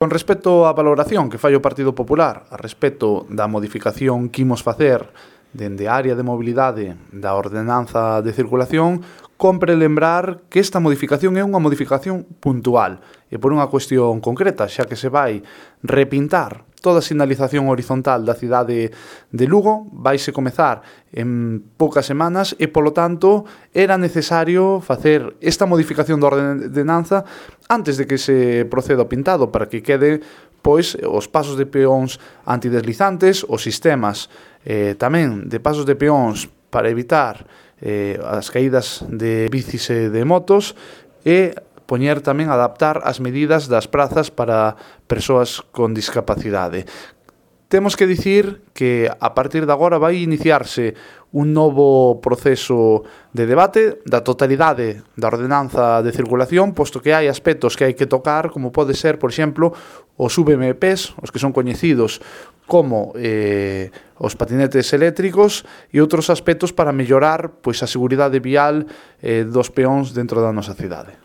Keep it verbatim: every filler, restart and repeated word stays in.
Con respecto á valoración que fai o Partido Popular a respecto da modificación que imos facer dende a área de mobilidade da ordenanza de circulación, compre lembrar que esta modificación é unha modificación puntual e por unha cuestión concreta, xa que se vai repintar toda a sinalización horizontal da cidade de Lugo, vaise comezar en poucas semanas e, polo tanto, era necesario facer esta modificación da ordenanza antes de que se proceda ao pintado para que quede pois os pasos de peóns antideslizantes, os sistemas eh, tamén de pasos de peóns para evitar eh, as caídas de bicis e de motos e poñer tamén adaptar as medidas das prazas para persoas con discapacidade. Temos que dicir que a partir de agora vai iniciarse un novo proceso de debate da totalidade da ordenanza de circulación, posto que hai aspectos que hai que tocar, como pode ser, por exemplo, os V M Ps, os que son coñecidos como eh, os patinetes eléctricos e outros aspectos para mellorar pois, a seguridade vial eh, dos peóns dentro da nosa cidade.